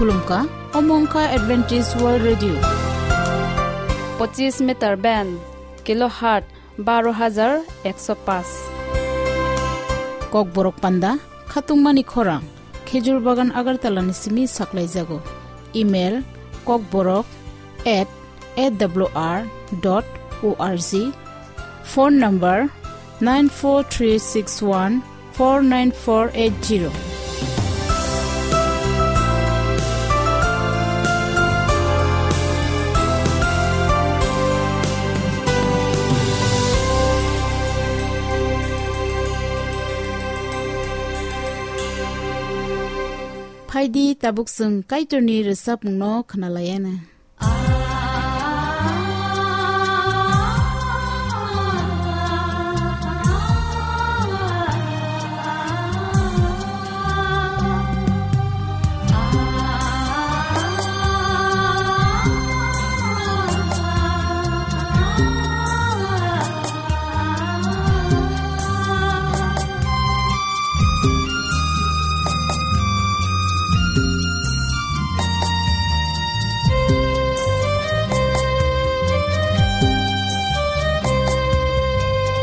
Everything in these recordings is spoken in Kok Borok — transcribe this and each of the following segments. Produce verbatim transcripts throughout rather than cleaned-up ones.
Khulumkha, omo wngkha Adventist World Radio. Pochis meter band, kilohertz baro hajar ekso paanch. Kokborok panda, khatungmani khorang, Khejur Bagan Agartala ni simi saklaijago. Email, kokborok at A W R dot O R G. Phone number, nine four three six one four nine four eight zero. Phaidi, tabuk chwng Kaitorni rwchapmungno khwnalaiana.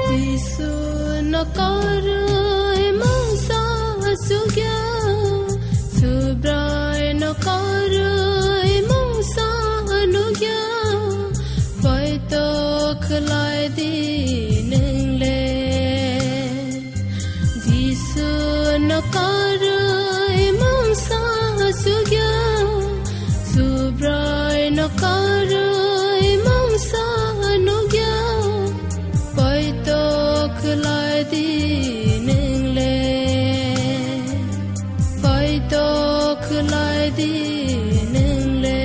Jisu no karwi mungsa sugya, Subrai no karwi mungsa nugya, poito khlai di nwngle. Jisu no karwi mungsa sugya, Subrai no karwi mungsa nugya, poito khlai di nwngle, poito khlai di nwngle.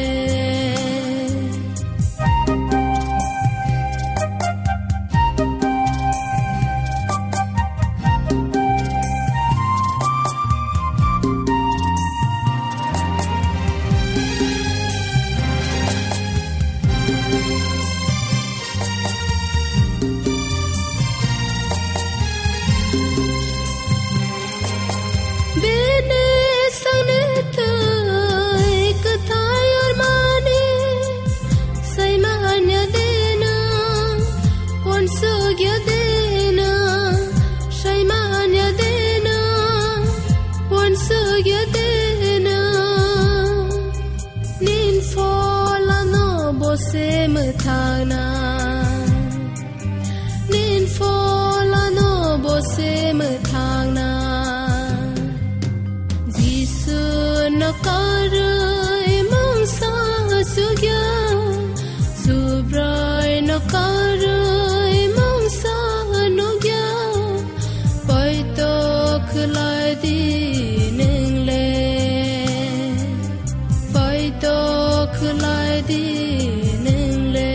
Bini sangni twi kwthai ormani, saimanya dena, uansukya dena, saimanya dena, uansukya dena. Nin pholano bo se mwthangna. Nin pholano bo se mwthangna. Jisu no karwi mungsa sugya, Subrai no karwi mungsa nugya, poito khlai di nwngle. Poito khlai di nwngle.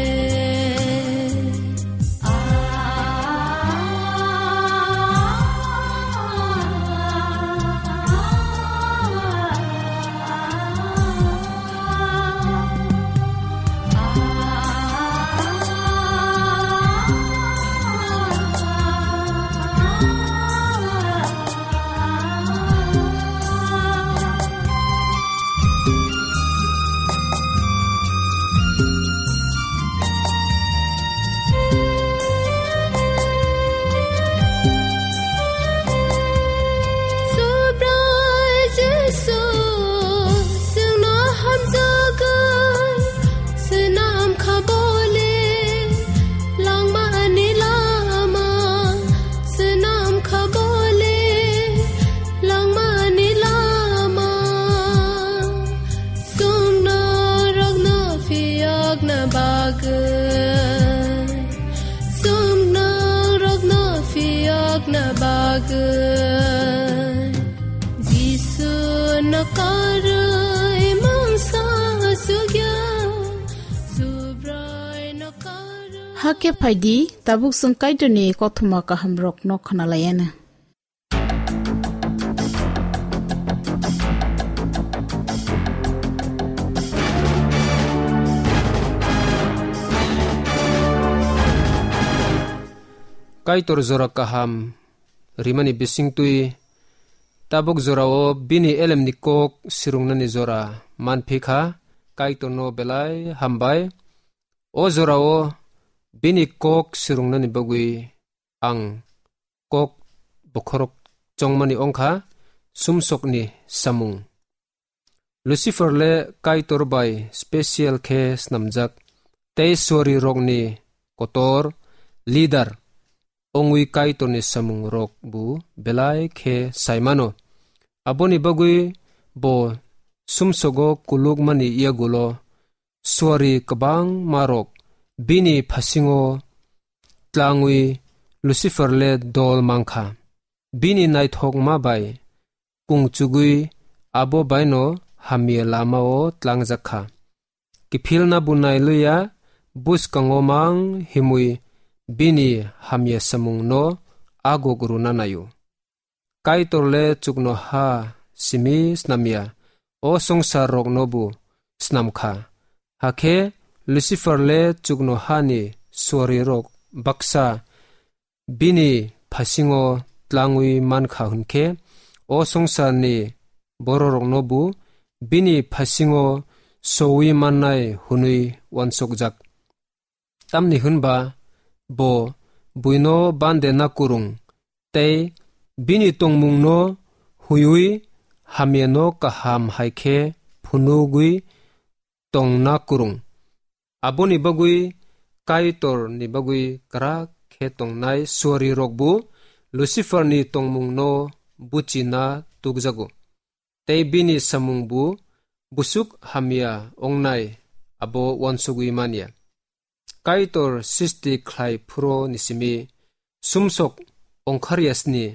Subrai Jisu, chwngno hamjagwi swnam kha bole, langmani lama swnam kha bole, langmani lama. Chwng norokno phiyokna bagwi, chwng norokno phiyokna bagwi, Jisu no karwi mungsa sugya, Subrai no karwi. Hakhe phaidi, tabuk chwng Kaitorni kothoma kahamrokno khwnalaiana. Kaitor jora kaham rimani bisingtwi tabuk jorao bini elemni kok sirungnani jora. manphi kha, Kaitorno belai hambai. O jorao bini kok swrwngnani bagwi ang kok bokhorok chongmani wngkha sumsokni samung. Lucifer le Kaitor bai special khe snamjak, tei suari rokni kotor, leader, wngwi Kaitorni samung rok bo belai khe saimano. Aboni bagwi bo sumsogo kulukmani yagulo suari kwbangma rok bini phasingo tlangwi Lucifer le dol mankha. Bini naithokma bai kungchugwi abo baino hamya lamao tlangjak kha. Kiphilna bunai luya bwskango mang himwi bini hamya samungno aguk rwna naio. Kaitor le chuknoha simi snamya, o songsar rokno bo snamkha. Hakhe Lucifer le chuknohani suari rok baksa bini phasingo tlangwi mankha hwnkhe, o songsarni bororokno bo bini phasingo sowi mannai hwnwi uansukjak. Tamni hwnba bo buino bande na kwrwng tei bini tongmungno huiwi hamyano kaham hai khe phunugwi tongna kwrwng. Aboni bagwi Kaitorni bagwi kwrak khe tongnai suari rokbo Luciferni tongmungno buchina tukjago. Tei bini samungbo busuk hamya ongnai abo uansugwi manya. Kaitor sisti khlai phuro nisimi sumsok ongkharyasni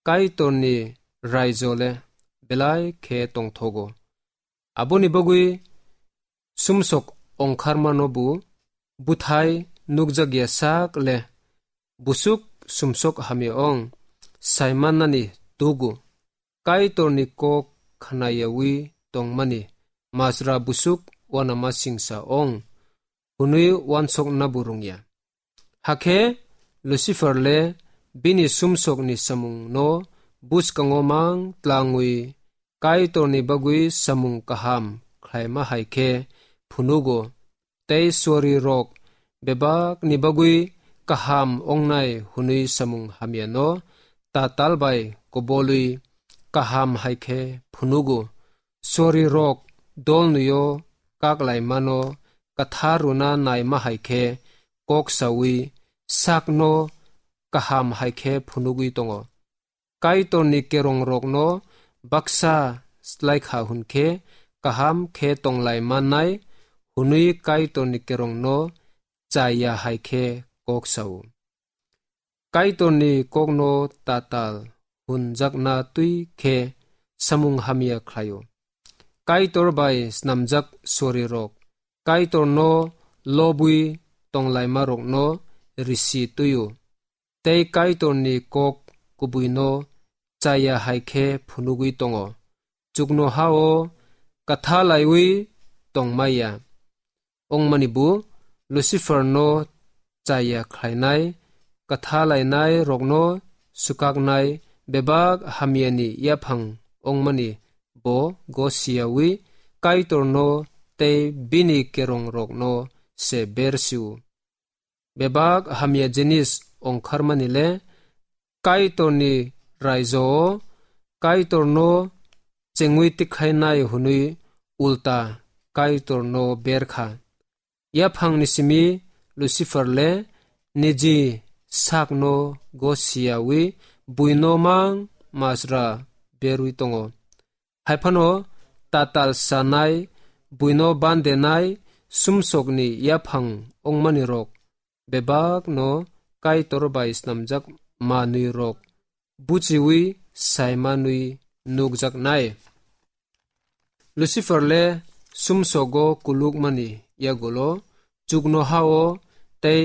Kaitorni raijo le belai khe tongthogo. Aboni bagwi sumsok ongkharmano bo buthai nukjakya sak le busuk sumsok hamya ong saimannani tugo. Kaitorni kok khnayawi tongmani majra busuk uanama singsa ong hwnwi uansokna bo rwngya. Hakhe Lucifer le bini sumsokni samungno bwskango mang tlangwi Kaitorni bagwi samung kaham khlaima hai khe phunugo, tei suari rok bebakni bagwi kaham ongnai hwnwi samung hamyano tatal bai kobolwi kaham hai khe phunugo. Suari rok dolnwio kaklaimano kwthar rwna naima hai khe kok saui sakno kaham hai khe phunugwi tongo. Kaitorni kerongrokno baksa slaikha hwn khe kaham khe tonglaimannai hwnwi Kaitorni kerongno chaya hai khe kok sao. Kaitorni kokno tatal hwnjakna twi khe samung hamya khlaio. Kaitor bai snamjak suari rok Kaitorno lobwi tonglaima rokno risi twio. Tei Kaitorni kok kubuino chaya hai khe phunugwi tongo. Chuknohao kwtha laiwi tongmaya. Ongmani bo Luciferno chaya khlainai, kwtha lainai rokno swkaknai bebak hamyani yaphang ongmani bo gosiyawi Kaitorno tei bini kerongrokno se ber sio. Bebak hamya jinis ongkharmani le Kaitorni raijo-o Kaitorno chengwi tikhainai hwnwi ulta Kaitorno ber kha. Yaphangni simi Lucifer le niji sakno gosiyawi buino mang majra berwi tongo. Hai phano tatal sanai, buino bandenai, sumsokni yaphang ongmani rok bebakno Kaitor bai snamjak manwi rok buchiwi saimanwi nukjaknai. Lucifer le sumsogo kulukmani yagulo chuknohao tei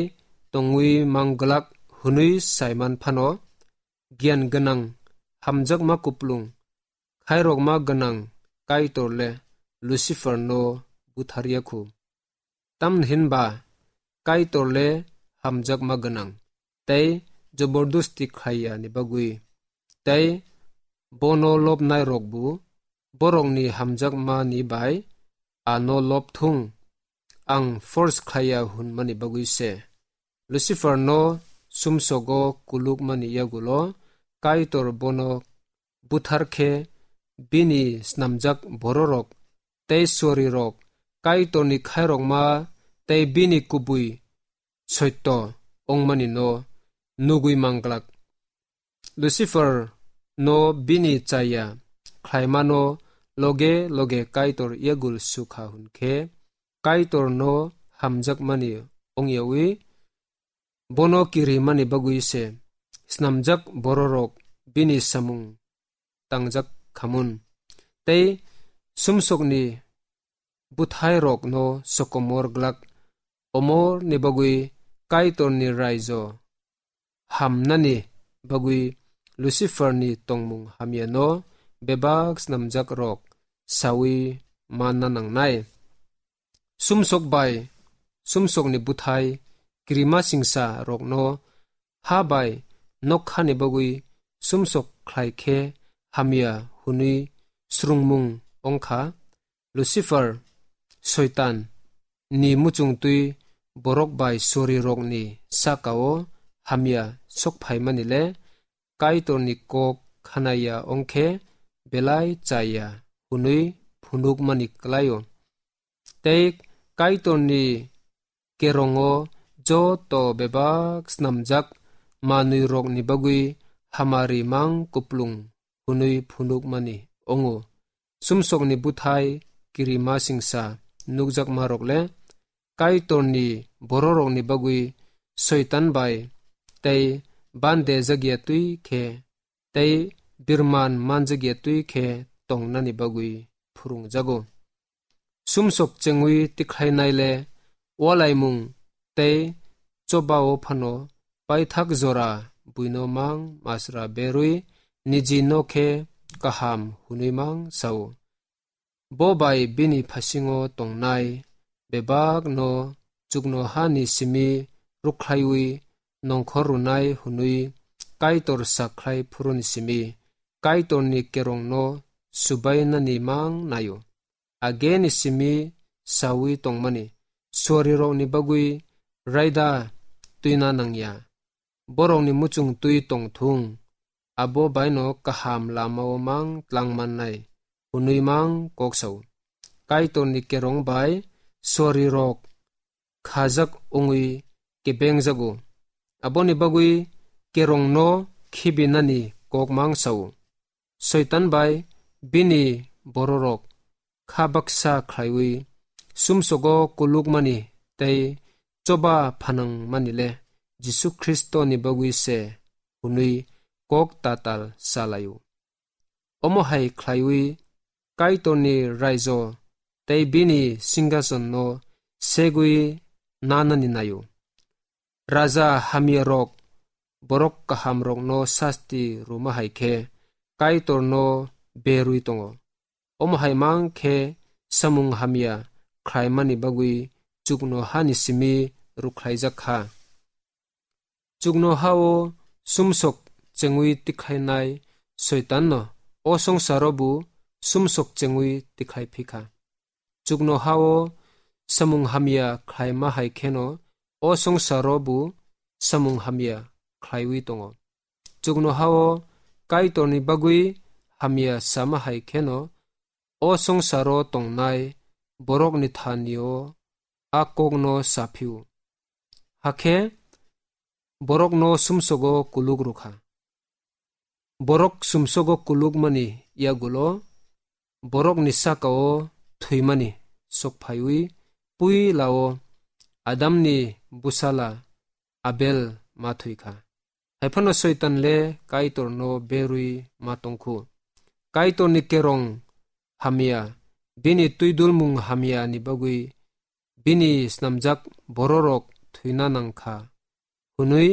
tongwi mangwlak hwnwi saiman phano, giyan gwnang, hamjakma kuplung, khairokma gwnang Kaitor le Luciferno butharya khu. Tamni hinba Kaitor le hamjakma gwnang tei jobordosti khlaiya ni bagwi, tei bono lobnai rokbo borokni hamjakmani bai ano lob thung, ang force khlaiya hwnmani bagwi se. Lucifer no sumsogo kulukmani yagulo Kaitor bono buthar khe bini snamjak bororok tei suarirok Kaitorni khairokma tei bini kubui soito wngmani no nugwi manglak. Lucifer no bini chaya khlaimano loge loge Kaitor yagul sukha hwn khe Kaitor no hamjakmani ongyawi bono kirimani bagwi se snamjak bororok bini samung tangjak khamun. Tei sumsokni bwthairokno sokomor glak omorni bagwi Kaitorni raijo hamnani bagwi Luciferni tongmung hamyano bebak snamjakrok sawi manna nangnai. Sumsok bai sumsokni bwthai kirima singsa rokno ha bai nokhani bagwi sumsok khlai khe hamya hwnwi srwngmung ongkha. Lucifer, Soitan, ni muchungtwi borok bai sorirokni sakao hamya sokphaimani le Kaitorni kok khanaya ongkhe belai chaya hwnwi phunukmani klaio. Tei Kaitorni kerongo joto bebak snamjak manwirokni bagwi hamari mang kuplung hwnwi phunukmani ongo. Sumsokni bwthai kirima singsa nukjakmarok le Kaitorni bororokni bagwi Soitan bai tei bande jagya twi khe tei birman manjakya twi khe tongnani bagwi phwrwngjago. Sumsok chengwi tikhlainai le walaimung tei chobao phano paithak jora buino mang masra berwi niji no khe kaham hwnwi mang sao. Bo bai bini phasingo tongnai bebak no chuknoha ni simi rukhlaiwi nongkhor rwnai hwnwi Kaitor sakhlai phuruni simi Kaitorni kerongno subainani mang naio. Ageni simi sawi tongmani suarirokni bagwi raida twina nangya. Borokni muchung twi tongthung, abo baino kaham lamao mang tlang mannai, hwnwi mang kok sao. Kaitorni kerong bai suarirok khajak wngwi kebengjago. Aboni bagwi kerongno khibinani kok mang sao. Soitan bai bini bororok kha baksa khlaiwi sumsogo kulukmani tei choba phanangmani le Jisu Khristoni bagwi se hwnwi kok tatal salaio. Omo hai khlaiwi Kaitorni raijo tei bini singhason no segwi nanani naio. Raja hamyarok borok kahamrokno sasti rwma hai khe Kaitorno berwi tongo. Omo hai mang khe samung hamya khlaimani bagwi chuknohani simi rukhlaijak kha. Chuknoha-o sumsok chengwi tikhlainai Soitanno o songsaro bo sumsok chengwi tikhlai phi kha. Chuknoha-o samung hamya khlaima hai kheno o songsaro bo samung hamya khlaiwi tongo. Chuknoha-o Kaitorni bagwi hamya sama hai kheno o songsaro tongnai borokni thani-o a kokno sa phio. Hakhe borokno sumsogo kuluk rw kha. Borok sumsogo kulukmani yagulo borokni saka-o thwimani sok phaiwi puila-o Adamni bwsala Abel ma thwi kha. Hai phano Soitan le Kaitorno berwi ma tong khu. Kaitorni kerong hamya, bini twidulmung hamyani bagwi bini snamjak bororok thwina nang kha, hwnwi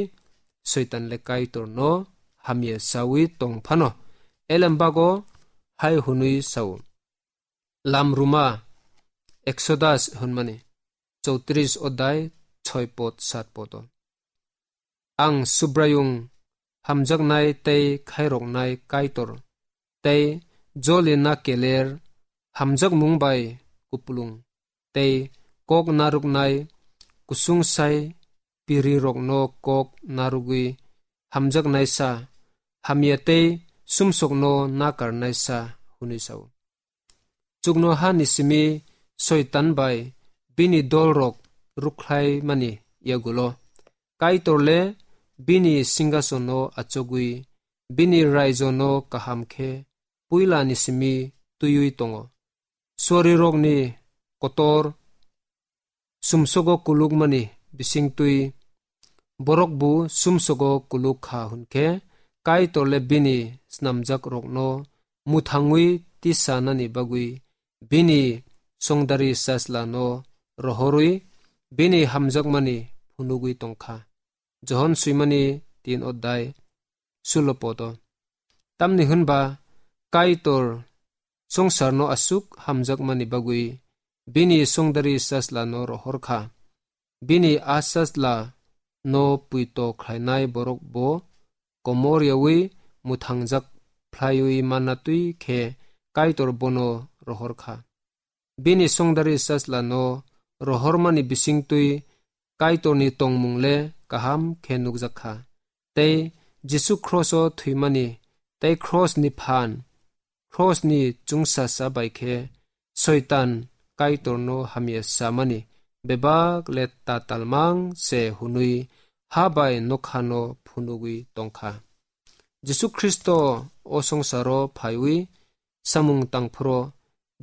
Soitan le Kaitorno hamya sawi tong phano, elem bago hai hwnwi sao. Lamruma Exodus hwnmani chowtris odai choi pod sat podo. Ang Subraiyung hamjaknai tei khairoknai Kaitor, tei jolina keler hamjakmung bai kupulung tei kok narwknai kusungsai pirirokno kok narwgwi hamjaknaisa, hamya tei sumsokno nakarnaisa hwnwi sao. Chuknohani simi Soitan bai bini dolrok rukhlaimani yagulo Kaitorle bini singhasono achugwi bini raijono kaham khe puilani simi twiwi tongo. Suarirokni kotor sumsogo kulukmani bisingtwi borokbo sumsogo kuluk kha hwnkhe, Kaitorle bini snamjakrokno mwthangwi tisanani bagwi bini songdari sajlano rohorwi bini hamjakmani phunugwi tongkha. Johon swimani tin odai sulo poto. Tamni hwnba Kaitor songsarno aswk hamjakmani bagwi bini songdari sajlano rohorkha. Bini a sajla no puito khlainai borok bo komor yawi mwthangjak phlaiwi manna twi khe Kaitor bono rohorkha. Bini songdari sajlano rohormani bisingtwi Kaitorni tongmung le kaham khe nukjak kha. Tei Jisu kroso thwimani tei krosni phan, krosni chwngsasa bai khe Soitan Kaitorno hamya samani bebak le tatalmang se hwnwi ha bai nokhano phunugwi tongkha. Jisu Khristo o songsaro phaiwi samung tangphuro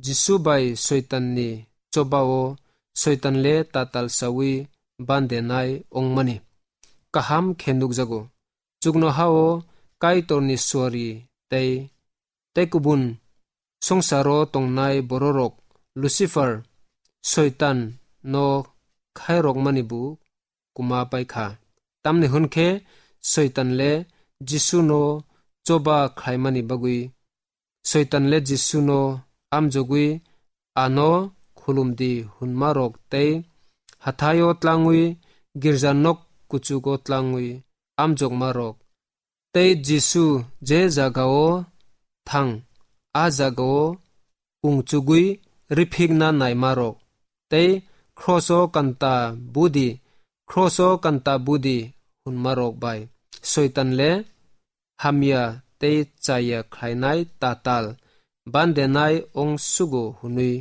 Jisu bai Soitanni chobao Soitan le tatal sawi bandenai ongmani kaham khe nukjago. Chuknohao Kaitorni suari tei, tei kubun songsaro tongnai bororok Lucifer, Soitan no khairokmani bo kuma paikha. Tamni hwn khe Soitan le Jisu no choba khlaimani bagwi, Soitan le Jisu no amjogwi ano khulumdi hwnmarok tei hathaio tlangwi girja nok kuchugo tlangwi amjokmarok tei Jisu je jagao thang, a jagao kungchugwi riphikna naimarok, tei kroso kanta budi, kroso kanta budi hwnmarok bai Soitan le hamya tei chaya khlainai tatal bandenai ongsugo hwnwi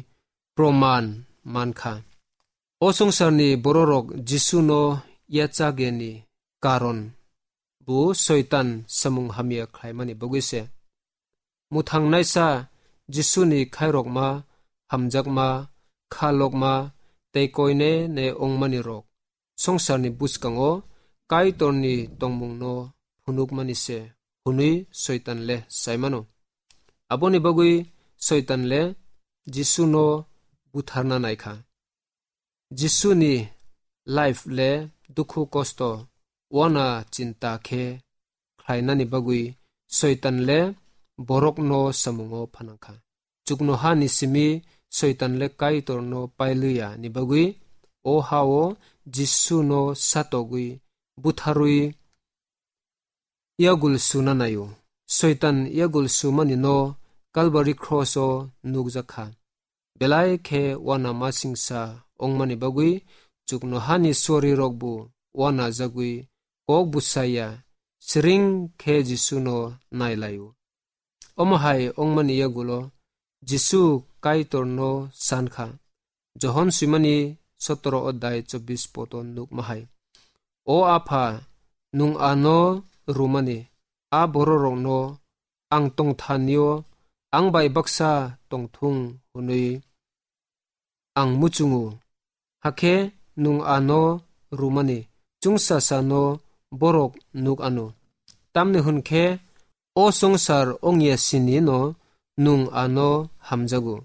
proman mankha. O songsarni bororok Jisuno yachageni karon bo Soitan samung hamya khlaimani bagwi se. Mwthangnaisa Jisuni khairokma, hamjakma, khalokma tei koine ne ongmani rok songsarni bwskango Kaitorni tongmungno phunukmani se hwnwi Soitan le saimano. Aboni bagwi Soitan le Jisuno butharna naikha. Jisuni life le dukhu kosto, wana chinta khe khlainani bagwi Soitan le borokno samungo phanangkha. Chuknohani simi Soitan le Kaitorno pailiya ni bagwi o hao Jisuno satogwi butharwi yagul suna naio. Soitan yagul sumani no Calvary cross o nukjakha. Belai khe wana masingsa ongmani bagwi chuknohani suarirokbo wana jagwi kok bwsaya siring khe Jisuno nailaio. Omo hai ongmani yagulo Jisu Kaitorno sankha. Johon swimani sotoro odai chobbish poto nukma hai. O Apha, nwng ano rwmani, a bororokno ang tongthanio ang bai baksa tongthung hwnwi ang muchungo. Hakhe nwng ano rwmani chwngsasano borok nuk ano. Tamni hwn khe o songsar ongya sinino nwng ano hamjago.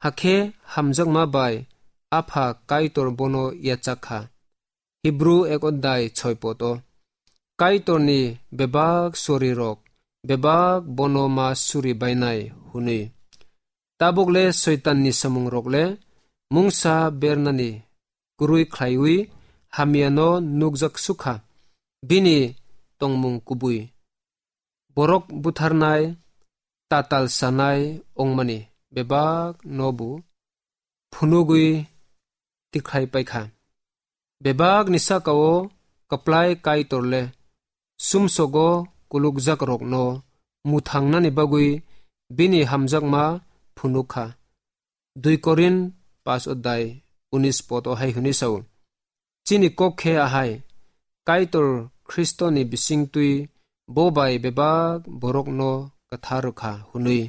Hakhe hamjakma bai Apha Kaitor bono yachak kha. Hibru ek odai choi poto. Kaitorni bebak sorirok, bebak bono ma suri bainai hwnwi. Tabuk le Soitanni samungrok le mungsa bernani kwrwi khlaiwi hamyano nukjak sukha. Bini tongmung kubui borok butharnai, tatal sanai ongmani bebak nobu phunugwi tikhlai paikha. Bebakni saka-o kwplai Kaitor le sumsogo kulukjakrokno mwthangnani bagwi bini hamjakma phunuk kha. Dui Korin pas odai unis pod-o hai hwnwi sao, "Chini kok khe ahai, Kaitor Khristoni bisingtwi bo bai bebak borokno kwthar rwkha," hwnwi.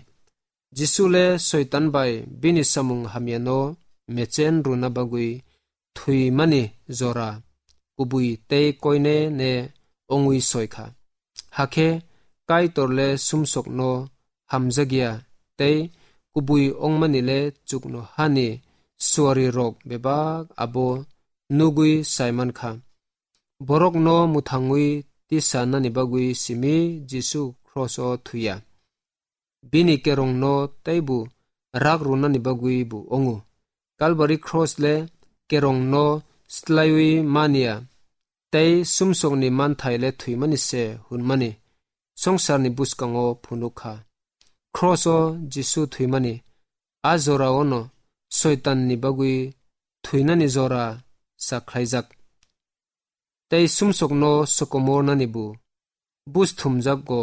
Jisu le Soitan bai bini samung hamyano mechen rwna bagwi thwimani jora kubui tei koine ne wngwi soi kha. Hakhe Kaitor le sumsokno hamjakya tei kubui wngmani le chuknohani suarirok bebak abo nugwi sai man kha. Borokno mwthangwi tisa nani bagwi simi Jisu kros-o thwiya. Bini kerongno teibo rak rwnani bagwi bo wngo. Kalbari kros le kerongno slaiwi manya tei sumsokni manthai le thwimani se hwnmani songsarni bwskango phunuk kha. Kros-o Jisu thwimani a jora-ono Soitanni bagwi thwinani jora sa khlaijak. Tei sumsokno sokomornani bo buj thumjakgo.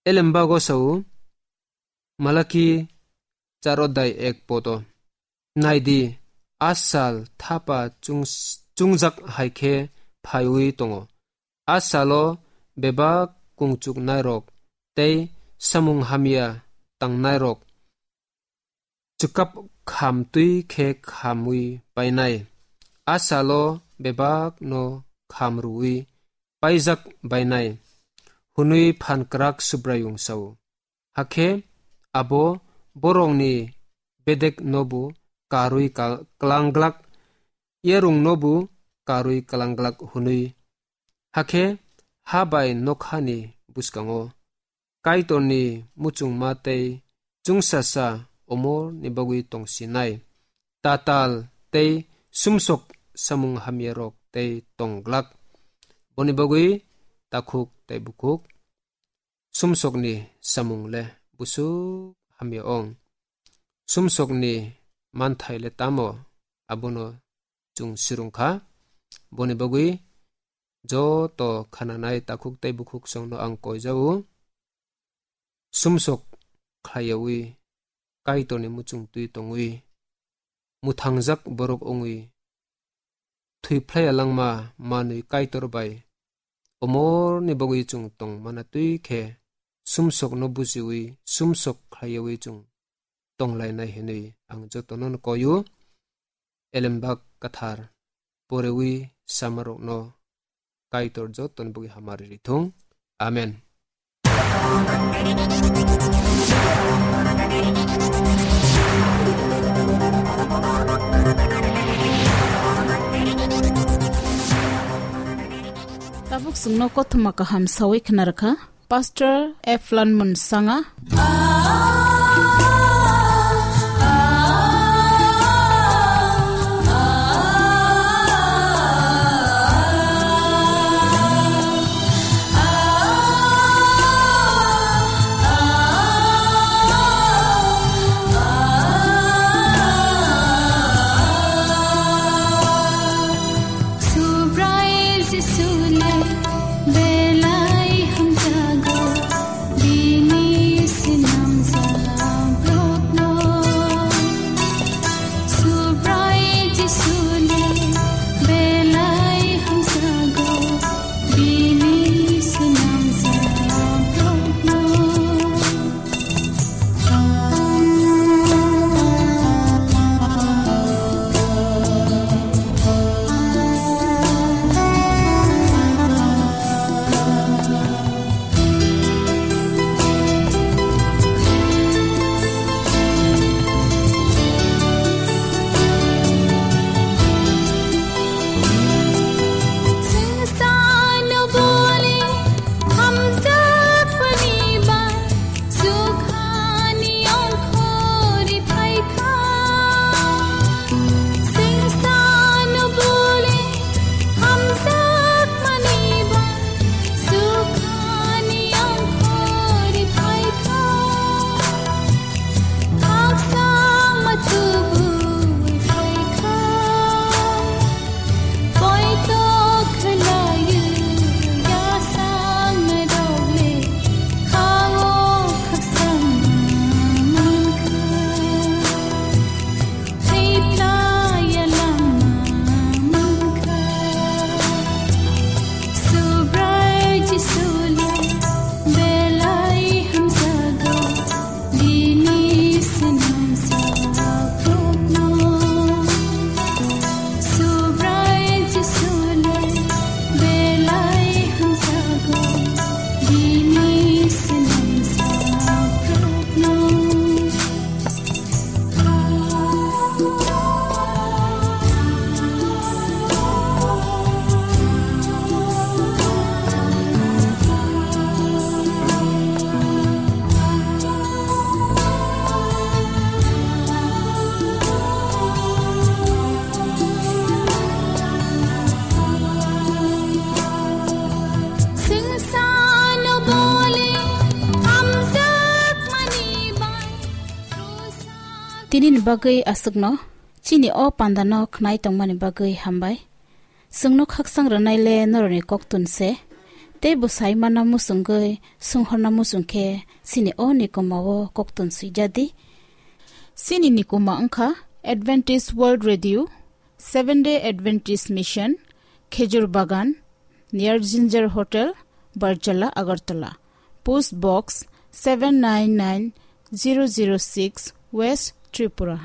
Elembago sao, Malaki char odai ek pod-o, "Naidi, a sal thapa chung-, chungjak hai khe phaiwi tongo. A salo bebak kungchuknairok tei samung hamya tangnairok chwkap kham twi khe khamwi painai. A salo bebakno kham rwui paijak bainai," hwnwi phan kwrak Subraiyung sao. Hakhe abo borokni bedeknobo karwi ka-, klanglak, yarungnobo karwi klanglak hwnwi. Hakhe ha bai nokhani bwskango Kaitorni muchungma tei chwngsasa omorni bagwi tongsinai, tatal tei sumsok samung hamyarok tei tongglak. Boni bagwi takhuk tei bukhuk sumsokni samung le busuk hamya ong. Sumsokni manthai le tamo, abono chwng sirung kha. Boni bagwi joto khananai takhuk tei bukhuk songno ang koijao. Sumsok khlaiyaui Kaitorni muchung twi tongwi, mwthangjak borok wngwi, thwiphlaiya langma manwi Kaitor bai omorni bagwi chwng tong mana twi khe sumsokno bujiwi, sumsok khlaiyaui chwng tonglainai hwnwi ang jotono koio. Elembak kwthar porewi samarokno Kaitor jotoni bagwi hamari rithung. Amen. Tabuk chwngno kothoma kaham sawi khna rwkha. Pastor Eflon Munsanga. Subrai Jisu le belai hamjago, bini sinam Nini bagwi aswkno chini o pandano khnai tongmani bagwi hambai. Chwngno khaksang rwnaile norokni koktun se. Tei bwsai mana muchungwi sunghorna muchung khe chini o nikoma o koktun swijadi. Chini nikoma wngkha Adventist World Radio, Seven Day Adventist Mission, Khejur Bagan, near Ginger Hotel, Barjala, Agartala. Post Box seven nine nine zero zero six, West Tripura.